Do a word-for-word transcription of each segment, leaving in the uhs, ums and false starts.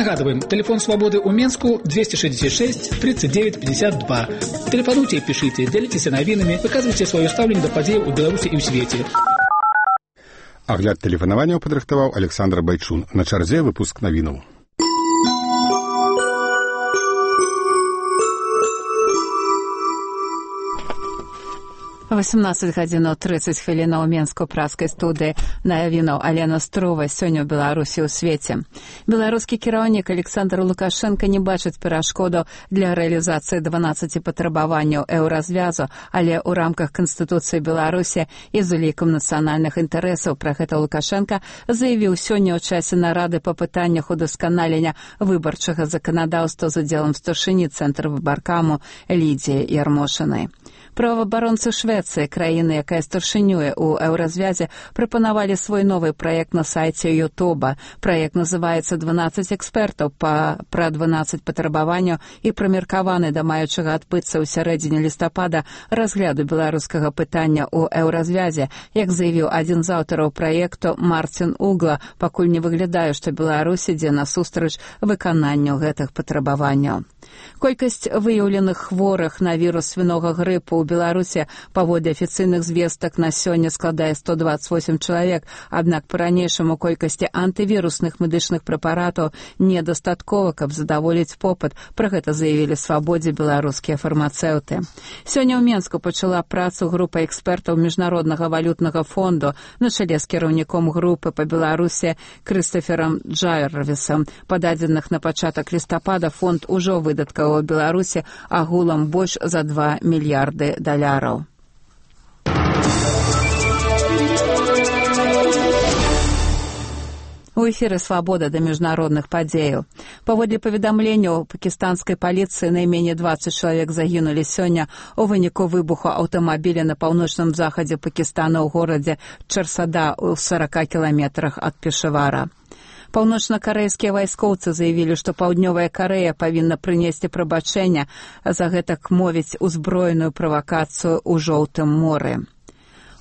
Нагадываем, телефон «Свободы» у Менску двести шестьдесят шесть тридцать девять пятьдесят два. Телефонуйте и пишите, делитесь навинами, выказывайте свое ставленне до падзей у Беларуси и в свете. Агляд тэлефанаванняў падрыхтаваў Александр Байчун. На чарзе выпуск навінаў. восемнадцать гадзінаў тридцать хвілінаў у Менску-праскай студыі навінаў Алена Строва. Сёння ў Беларусі ў свеце. Беларускі кіраўнік Александр Лукашенко не бачыць перашкодаў для рэалізацыі дванаццаці патрабаванняў еўразвязу, але ў рамках Канстытуцыі Беларусі і з улікам нацыянальных інтарэсаў. Пра гэта Лукашенко заявіў сёння ў часе нарады па пытаннях удасканалення выбарчага заканадаўства з удзелам старшыні Цэнтра выбаркаму Лідзіі Ярмошынай. Праваабаронцы Швецыі, краіны, якая старшынюе ў еўразвязе, прапанавалі свой новы праект на сайце Ютуба. Праект называецца «дванаццаць экспертаў» па, пра дванаццаць патрабаванняў і прымеркаваны да маючага адбыцца ў сярэдзіне лістапада разгляду беларускага пытання ў еўразвязе. Як заявіў адзін з аўтараў праекту Марцін Угла, пакуль не выглядае, што Беларусь ідзе насустрач выкананню гэтых патрабаванняў. Колькасць выяўленых хворых на вірус свінога грыпу ў Беларусі паводле афіцыйных звестак на сёння складае сто двадцать восемь чалавек, аднак па-ранейшаму колькасці антывірусных медычных прэпаратаў недастаткова, каб задаволіць попыт. Пра гэта заявілі «Свабодзе» беларускія фармацэўты. Сёння ў Менску пачала працу група экспертаў Міжнароднага валютнага фонду на чале з кіраўніком групы па Беларусі Крыстаферам Джарвісам. Па дадзеных на пачатак лістапада фонд ужо выдаткаваў у Беларусі агулам больш за два мільярды даляраў. У эфіры «Свабода» да міжнародных падзеяў. Паводле паведамленняў пакістанскай паліцыі, найменей двадцать чалавек загінулі сёння у выніку выбуху аўтамабіля на паўночным захадзе Пакістана ў горадзе Чарсада ў сорока кіламетрах ад Пешавара. Паўночна-карэйскія вайскоўцы заявілі, што Паўднёвая Карэя павінна прынесці прабачэнне за гэтак мовіць узброеную правакацыю ў Жоўтым моры.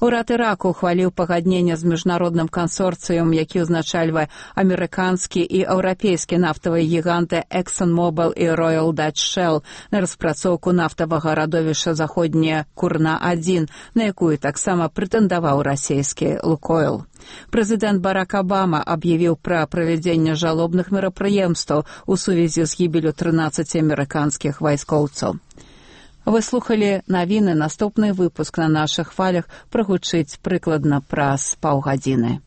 Урад Іраку ухваліў пагадненне з міжнародным кансорцыем, які ўзначальвае амерыканскі і еўрапейскі нафтавыя гіганты ExxonMobil і Royal Dutch Shell на распрацоўку нафтавага радовішча заходняя Курна адзін, на якую таксама прэтэндаваў расійскі Лукойл. Прэзідэнт Барак Абама аб'явіў пра правядзенне жалобных мерапрыемстваў у сувязі з гібелю трынаццаці амерыканскіх вайскоўцаў. Вы слухалі навіны. Наступны выпуск на нашых хвалях прагучыць прыкладна праз паўгадзіны.